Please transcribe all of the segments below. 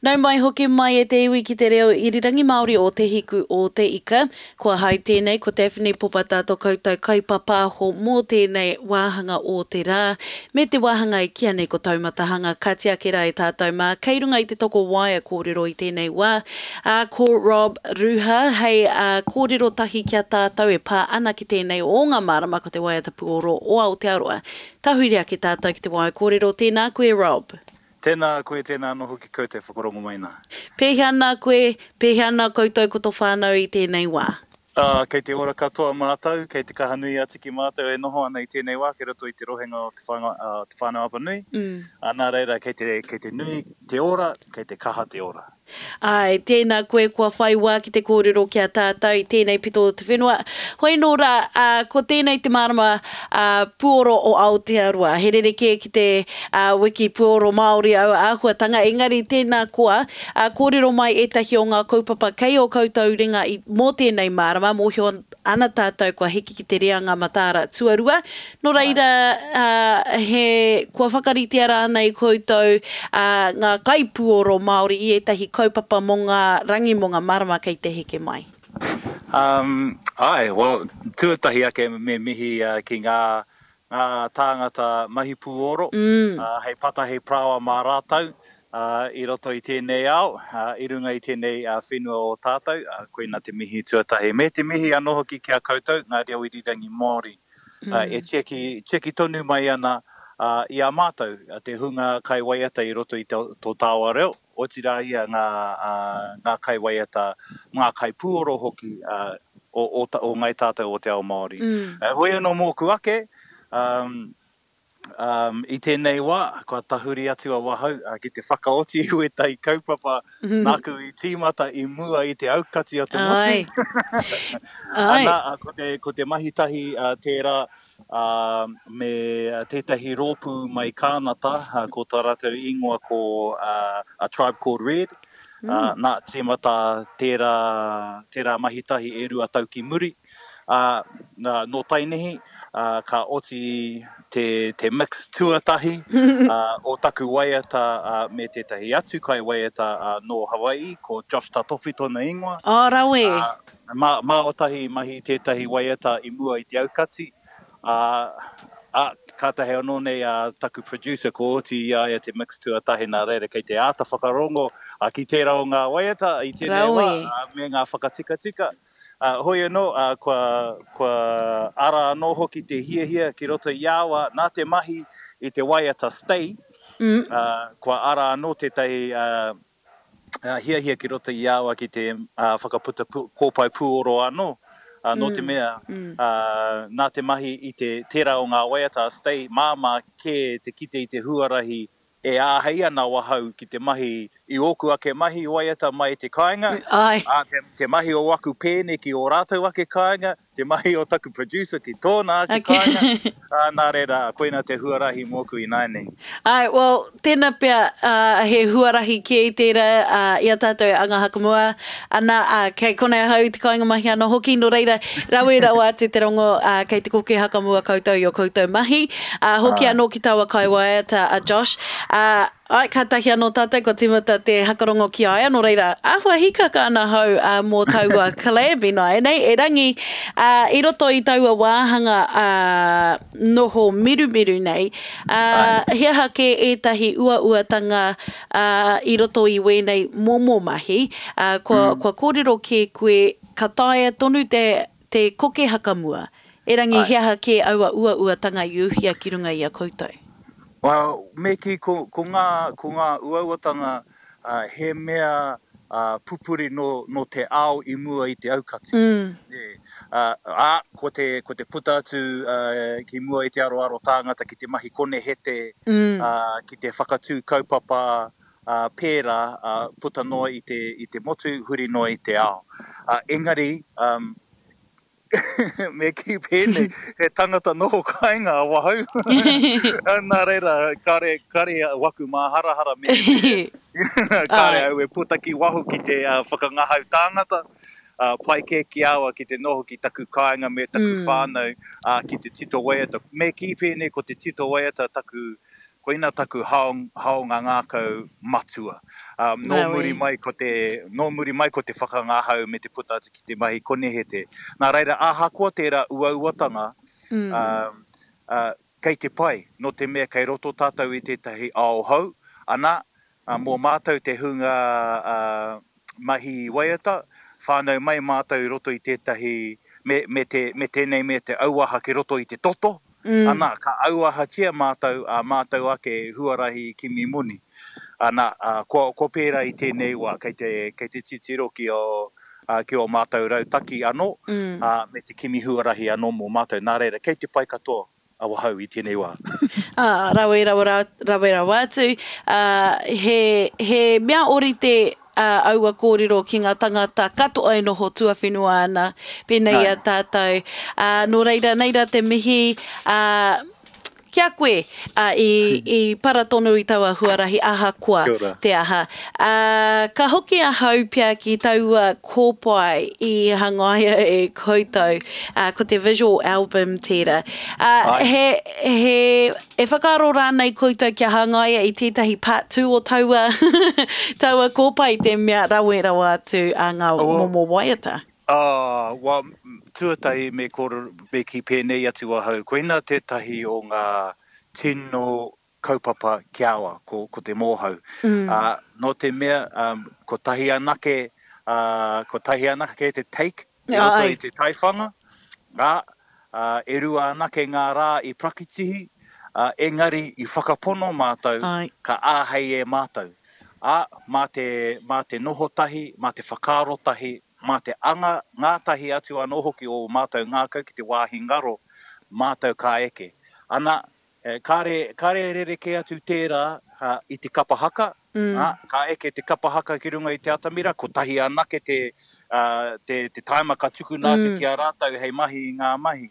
Nau mai hoki mai e te iwi ki te reo irirangi Māori o Te Hiku o Te Ika. Ko ahau tēnei, ko Daphne Popata to koutou kaipapāho mō tēnei wāhanga o te rā, me te wāhanga e kīa nei ko Taumatahanga. Ka tiaki rā e tātou mā, kei runga i te toko waea kōrero i tēnei wā, ā, ko Rob Ruha hei kōrero tahi ki a tātou e pā ana ki tēnei o ngā marama ko te waiata puoro o Aotearoa. Tahuri ake tātou ki te waea kōrero, tēnā koe Rob. Tēnā koe, tēnā anō hoki koutou e whakarongo mai nā. Pēhea ana koe, pēhea ana koutou ko to whānau i tēnei wā? Ā, kei te ora katoa mātou, kei te kaha nui atu ki mātou e noho ana i tēnei wā kei roto i te rohenga o Te Whānau-a-Apanui, ā, nā reira kei te, kei te nui te ora, kei te kaha te ora. Āe, tēnā koe kua whai wā ki te kōrero ki a tātou i tēnei pito o te whenua. Hoi nō rā, ā, ko tēnei te marama, ā, puoro o Aotearoa. He rerekē ki te, ā, wiki puoro Māori aua āhuatanga, engari tēnā koa, ā, kōrero mai ētahi o ngā kaupapa kei ō koutou ringa i, mō tēnei marama, mōhio ana tātou kua hiki ki te reanga mataara tuarua. Nō reira, he, kua whakaritea rānei koutou ngā kaipuoro Māori i ētahi kaupapa mō ngā rangi, mō ngā marama kei te heke mai? Um, āe, well, tuatahi ake me mihi ki ngā, ngā tāngata mahi pūoro, hei pata, hei parāoa mā rātou, i roto i tēnei ao, i runga i tēnei whenua o tātou, koina te mihi tuatahi. Me te mihi anō hoki ki a koutou, ngā reo irirangi Māori, e tiaki, tiaki tonu mai ana i a mātou, te hunga kaiwaiata i roto i tō tāua reo, otirā ia ngā, ngā kaiwaiata, ngā kaipūoro hoki o, o, o ngāi tātou o te ao Māori. Heoi anō mōku ake, Um, i tēnei wā, kua tahuri atu awahau ki te whakaoti i wētahi kaupapa nāku i tīmata i mua i te aukati o te motu. Ai. Ai. Ana, ko te, ko te mahi tahi tērā me tētahi rōpū mai Kānata, ko tā rātou ingoa ko A Tribe Called Red. Nā, tīmata tērā, tērā mahi tahi e rua tau ki muri. Ā, nō Tainihi, ā, ka oti te, te mix tuatahi, ā, o taku waiata, ā, me tētahi atu kaiwaiata, ā, nō Hawai'i, ko Josh Tatofi tōna ingoa. Ā, rawe! Ā, mā, mā Otahi i mahi tētahi waiata i mua i te aukati, ā, ā, kātahi anō nei a taku producer kua oti i a ia te mix tuatahi, nā reira kei te āta whakarongo, ā, ki tērā o ngā waiata i tēnei wā, Rawe! ā, me ngā whakatikatika. Ā, hoi anō, ā, kua, kua ara anō hoki te hiahia ki roto i a au, nā te mahi i te waiata Stay, ā, kua ara anō tētahi, ā, hiahia ki roto i a au ki te, ā, whakaputa pū, kōpae pūoro anō, ā, nō te mea, ā, nā te mahi i te, tērā o ngā waiata a Stay, māmā kē te kite i te huarahi E āhei ana ahau ki te mahi i ōku ake mahi waiata mai i te kāinga, ā, te, te mahi o aku pēne ki ō rātou ake kāinga, te mahi o taku producer ki tōna ake kāinga, ā, nā reira, koina te huarahi mōku ināianei. Āe, well, tēnā pea, ā, he huarahi kē tērā, ā, i a tātou e anga hakamua ana, ā, kei konei ahau i te kāinga mahi anō hoki, nō reira, rawe rawa atu te rongo, ā, kei te koke hakamua koutou i ō koutou mahi. Ā, hoki anō ki taua kaiwaiata a Josh, ā, āe, kātahi anō tātou kua tīmata te hakarongo ki a ia, nō reira, āhua hīkaka ana ahau, ā, mō taua collab ināianei, erangi, ā, i roto i taua wāhanga, ā, noho mirumiru nei, ā, he aha kē ētahi uauatanga, ā, i roto i wēnei momo mahi, ā, kua, kua kōrero kē koe, ka taea tonu te, te koke hakamua, erangi he aha kē aua uauatanga i uhia ki runga i a koutou? Well, me kī ko, ko ngā, ko ngā uauatanga, ā, he mea, ā, pupuri nō, nō te ao i mua i te aukati. Nē. Ā, ā, ko te, ko te puta atu, ā, ki mua i te aroaro tāngata ki te mahi konehete, ā, ki te whakatū kaupapa, ā, pērā, ā, puta noa i te, i te motu, huri noa i te ao. Ā, engari, ā, me kī pēnei, he tangata noho kāinga awahau, nā reira, kāre, kāre waku māharahara me, me, kāre au e puta ki waho ki te whakangahau tāngata, ā, pai kē ki a au ki te noho ki taku kāinga me taku whānau, ā, ki te tito waiata. Me kī pēnei, ko te tito waiata taku, koina taku haonga ngākau matua. Nō muri mai ko te, nō muri mai ko te whakangahau me te puta atu ki te mahi konehete. Nā reira, ahakoa tērā uauatanga, kei te pai, nō te mea kei roto tātou i tētahi ao hou, ana, mō mātou te hunga mahi waiata, whānau mai mātou i roto i tētahi, me, me te, me tēnei mea te auaha ki roto i te toto, ana, ka auahatia mātou ā mātou ake huarahi kimi moni. Ana, kua, kua pērā i tēnei wā, kei te, kei te titiro ki ō, ki ō mātou rautaki anō, ā, me te kimi huarahi anō mō mātou. Nā reira, kei te pai katoa awahau i tēnei wā. Ā, rawe rawa, rawe rawa atu. Ā, he, he mea ōrite ā, aua kōrero ki ngā tangata katoa e noho tuawhenua ana, pēnei i a tātou. Ā, nō reira, nei rā te mihi, ā, ki a koe, ā, i, i para tonu i taua huarahi ahakoa te aha. Ā, ka hoki ahau pea ki taua kōpae i hangaia e koutou, ā, ko te visual album tērā. Ā, he, he, e whakaaro rānei koutou kia hangaia i tētahi part two o taua, taua kōpae i te mea rawe rawa atu a ngā momo waiata? Ā, wā, tuatahi me kōrero, me kī pēnei atu ahau, koina tētahi o ngā tino kaupapa ki a au, ko, ko te mōhau. Ā, nō te mea, kotahi anake, ā, kotahi anake te take i roto i te taiwhanga, ā, ā, e rua anake ngā rā i prakitihi, ā, engari i whakapono mātou, ka āhei e mātou. Ā, mā te, mā te noho tahi, mā te whakaaro tahi, mā te anga ngātahi atu anō hoki o ō mātou ngākau ki te wāhi ngaro, mātou ka eke. Ana, Kāre, kāre e rerekē atu tērā i te kapa haka, ā, ka eke te kapa haka ki runga i te atamira, kotahi anake te, te, te tāima ka tukuna atu ki a rātou hei mahi i ngā mahi.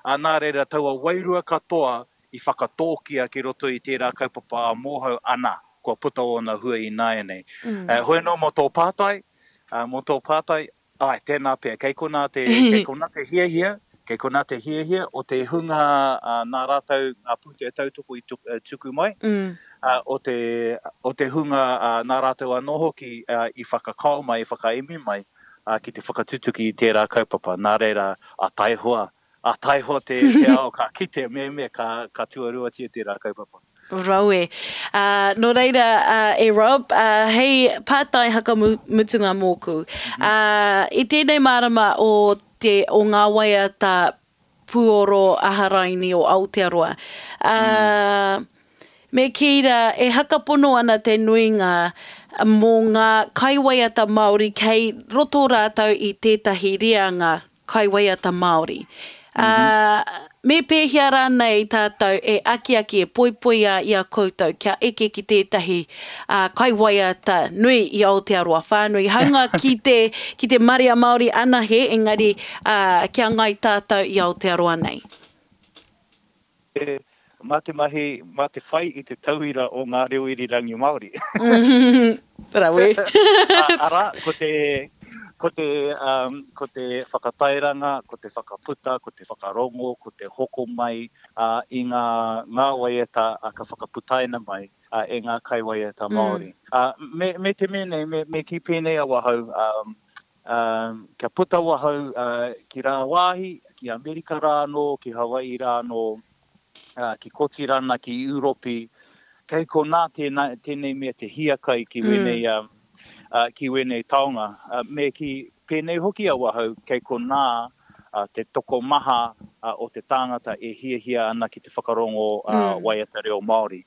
Ā, nā reira, taua wairua katoa i whakatōkia ki roto i tērā kaupapa a Mōhau, ana, kua puta ōna hua ināianei. Hoi anō mō tō pātai, mō tō pātai, Āe, tēnā pea. Kei konā te, kei konā te hiahia, kei konā te hiahia o te hunga nā rātou ngā pūtea tautoko i tuku mai, o te, o te hunga nā rātou anō hoki i whakakao mai, i whakaemi mai ki te whakatutuki i tērā kaupapa. Nā reira, a taihoa, a taihoa te, te ao ka kite mehemea ka, ka tuaruatia tērā kaupapa. Rawe. Ā, nō reira, ā, e Rob, ā, hei pātai hakamutunga mōku. Ā, i tēnei marama o te, o ngā waiata puoro aharaini o Aotearoa, ā, me kī rā, e hakapono ana te nuinga mō ngā kaiwaiata Māori kei roto rātou i tētahi reanga kaiwaiata Māori. Ā, me pēhea rānei tātou e akiaki, e poipoi a i a koutou kia eke ki tētahi kaiwaiata nui i Aotearoa whānui, hāunga ki te, ki te marea Māori anahe, engari, ā, kia ngai tātou i Aotearoa nei? Mā te mahi, mā te whai i te tauira o ngā reo irirangi Māori. Rawe. Arā, ko te, ko te, ko te whakatairanga, ko te whakaputa, ko te whakarongo, ko te hoko mai i ngā, ngā waiata ka whakaputaina mai e ngā kaiwaiata Māori. Me, me te mea nei, me, me kī pēnei awahau, Kia puta ahau ki rāwāhi, ki Amerika rā anō, ki Hawaii rā anō, ki Kotirana, ki Ūropi, kei konā tēnei mea te hiakai ki wēnei, ki wēnei taonga. Me kī, pēnei hoki awahau, kei konā te tokomaha o te tāngata e hiahia ana ki te whakarongo waiata reo Māori.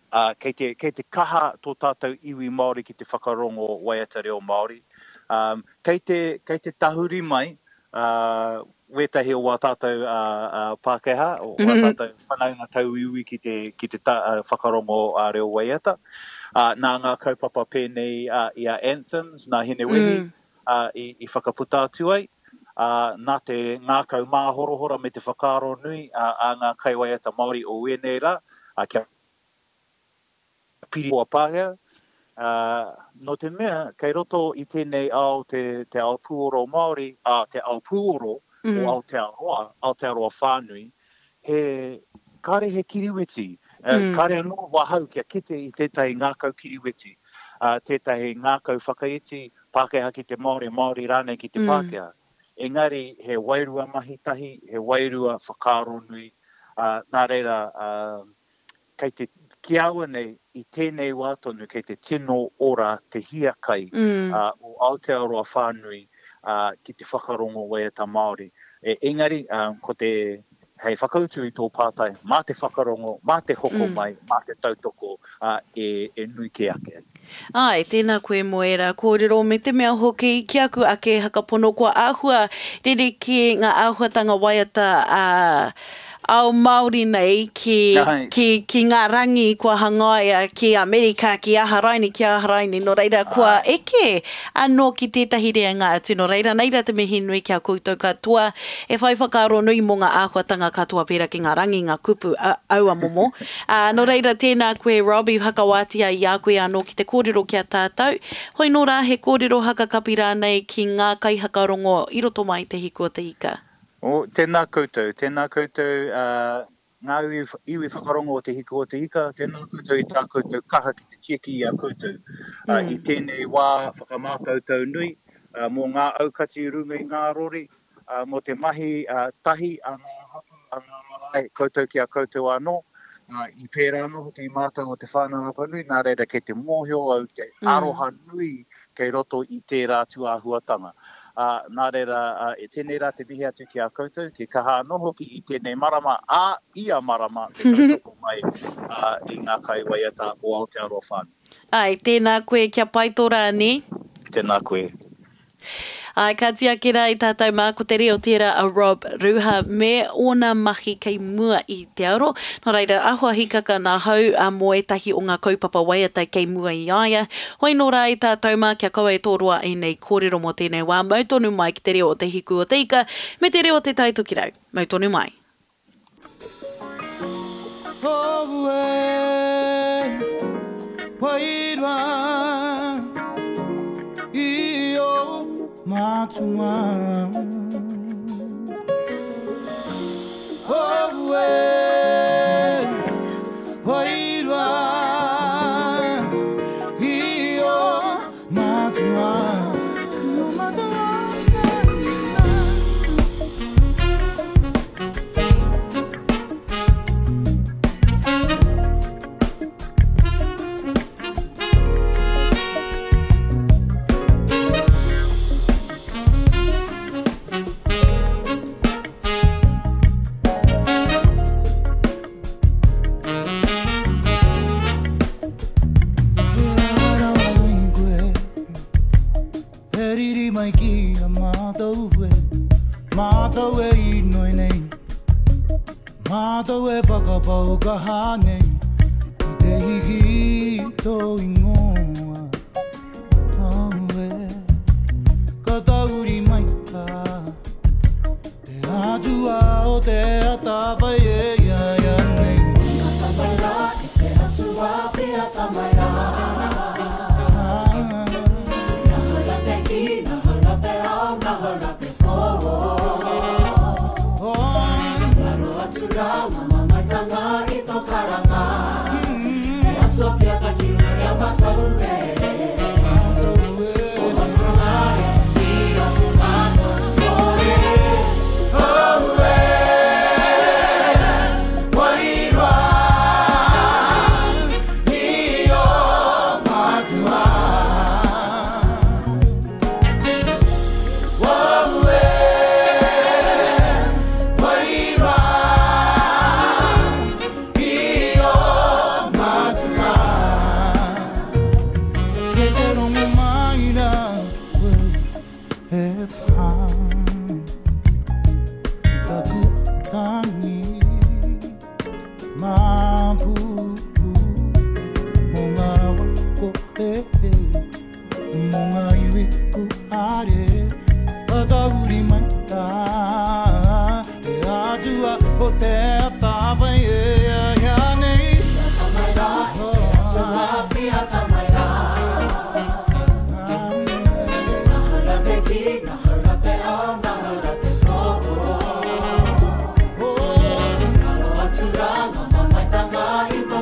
Ā, kei te, kei te kaha tō tātou iwi Māori ki te whakarongo waiata reo Māori. Ā, kei te, kei te tahuri mai, ā, wētahi o wā tātou, ā, ā, Pākehā, o wā tātou whanaunga tauiwi ki te, ki te ta, ā, whakarongo ā reo waiata. Ā, nā ngā kaupapa pēnei, ā, i a Anthems, nā Hinewehi, ā, i, i whakaputa atu ai, ā, nā te ngākau māhorahora me te whakaaro nui, ā, a ngā kaiwaiata Māori o ēnei rā, ā, kia piri hoa Pākehā, ā, nō te mea kei roto i tēnei ao te, te ao pūoro Māori, ā, te ao pūoro o Aotearoa, Aotearoa whānui, he, kāre he kiriweti. Kāre anō wahau kia kite i tētahi ngākau kiriweti, tētahi ngākau whakaiti, Pākehā ki te Māori, Māori rānei ki te Pākehā. Engari he wairua mahi tahi, he wairua whakaaro nui, nā reira, Kei te, ki aua nei, i tēnei wā tonu kei te tino ora te hiakai o Aotearoa whānui ki te whakarongo waiata Māori. Engari, ko te, hei whakautu i tō pātai, mā te whakarongo, mā te hoko mai, mā te tautoko e nui kē ake ai. Āe, tēnā koe mō ērā kōrero me te mea hoki ki aku ake whakapono kua āhua rerekē ngā āhuatanga waiata ā ao Māori nei ki, ki, ki ngā rangi kua hangaia ki Amerika, ki Aharaini, ki Aharaini, nō reira kua eke anō ki tētahi reanga atu, nō reira nei rā te mihi nui ki a koutou katoa e whai whakaaro nui mō ngā āhuatanga katoa pērā ki ngā rangi, ngā kupu, aua momo. Ā, nō reira, tēnā koe, Rob, i whakawātea i a koe anō ki te kōrero ki a tātou. Hoi nō rā, he kōrero hakakapi rānei ki ngā kaihakarongo i roto mai i Te Hiku o Te Ika. Oh, tēnā koutou, tēnā koutou, ā, ngā iwi, iwi whakarongo o Te Hiku o Te Ika, tēnā koutou i tā koutou kaha ki te tieki i a koutou, ā, i tēnei wā whakamātautau nui, ā, mō ngā aukati i runga i ngā rori, ā, mō te mahi tahi a ngā hapū, a ngā marae, koutou ki a koutou anō, ā, i pērā anō hoki i mātou o Te Whānau-a-Apanui, nā reira kei te mōhio au te aroha nui kei roto i tērā tūāhuatanga. Ā, nā reira, ā, e tēnei rā te mihi atu ki a koutou, ki kaha anō hoki i tēnei marama, ā, ia marama te tautoko mai, ā, i ngā kaiwaiata o Aotearoa whānui. Āe, tēnā koe, kia pai tō rā, nē? Tēnā koe. Āe, ka tiaki rā i tātou mā, ko te reo tērā a Rob Ruha me ōna mahi kei mua i te aro. Nō reira, ahua hikaka nā hau mō ētahi o ngā kaupapa waiata kei mua i a ia. Hoi nō rā i tātou mā, kia kaua e tōroa ēnei kōrero mō tēnei wā, mau tonu mai ki te reo o Te Hiku o Te Ika me te reo o Te Tai Tokerau. Mau tonu mai. E riri mai ki a mātou e, mātou e inoi nei, Mātou e whakapau kaha nei, ki te hiki i tō ingoa. Oh, e, ka tahuri mai tā te Atua o te atawhai e ia ia nei. Ka mai rā e te Atua piata mai rā. Nahau rā te kī, nahau rā te ao, nahau rā te pō. Ngaro atu rā ngā mamaetanga i tō karanga. Te Atua piata ki runga i a mātou e. Kei te rongo mai rā koe e pā I taku tangi māpū Mō ngā rawa kore Mō ngā iwi kūare Ka tahuri mai rā Te Atua o te atawhai e ia nei. Piata mai rā, e te Atua, piata mai rā. Nahau rā te kī, nahau rā te ao, nahau rā te pō. Ngaro atu rā ngā mamaetanga i tō.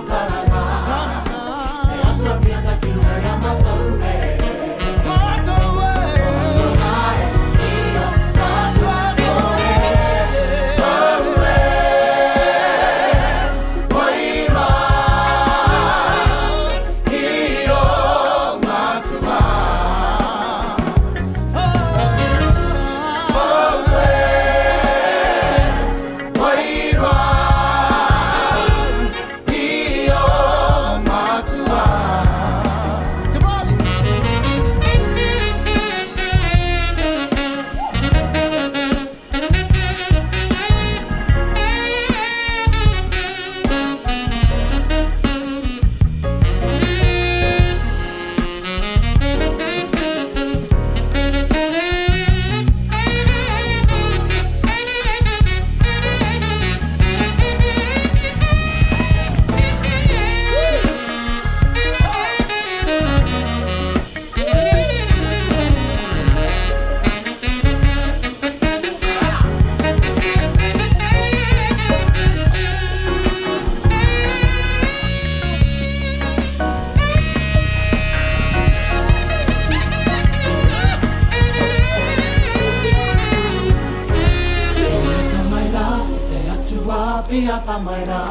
piata mai rā.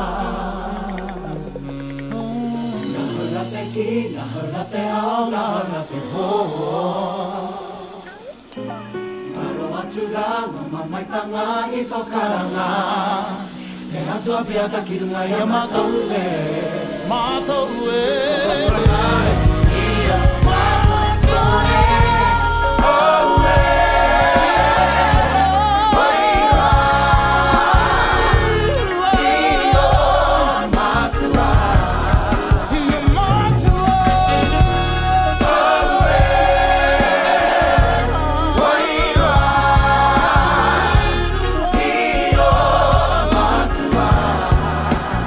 Nahau rā te kī, nahau rā te ao, nahau rā te pō. Ngaro atu rā ngā mamaetanga i tō karanga. Te Atua piata ki runga i a mātou e. Mātou e. Ia mātou e. Oh e. Wairua i ō matua. I ō matua. Oh e. Wairua i ō matua.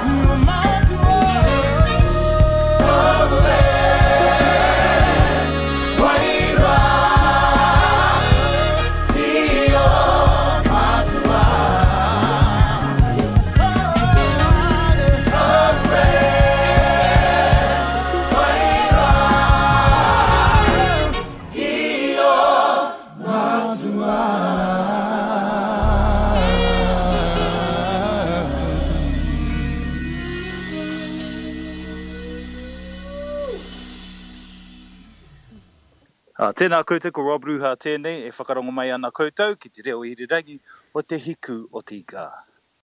I ō matua. Oh e. Wairua i ō matua. Oh e. Wairua i ō matua. Ā, tēnā koutou, ko Rob Ruha tēnei e whakarongo mai ana koutou ki te reo irirangi o Te Hiku o te Ika.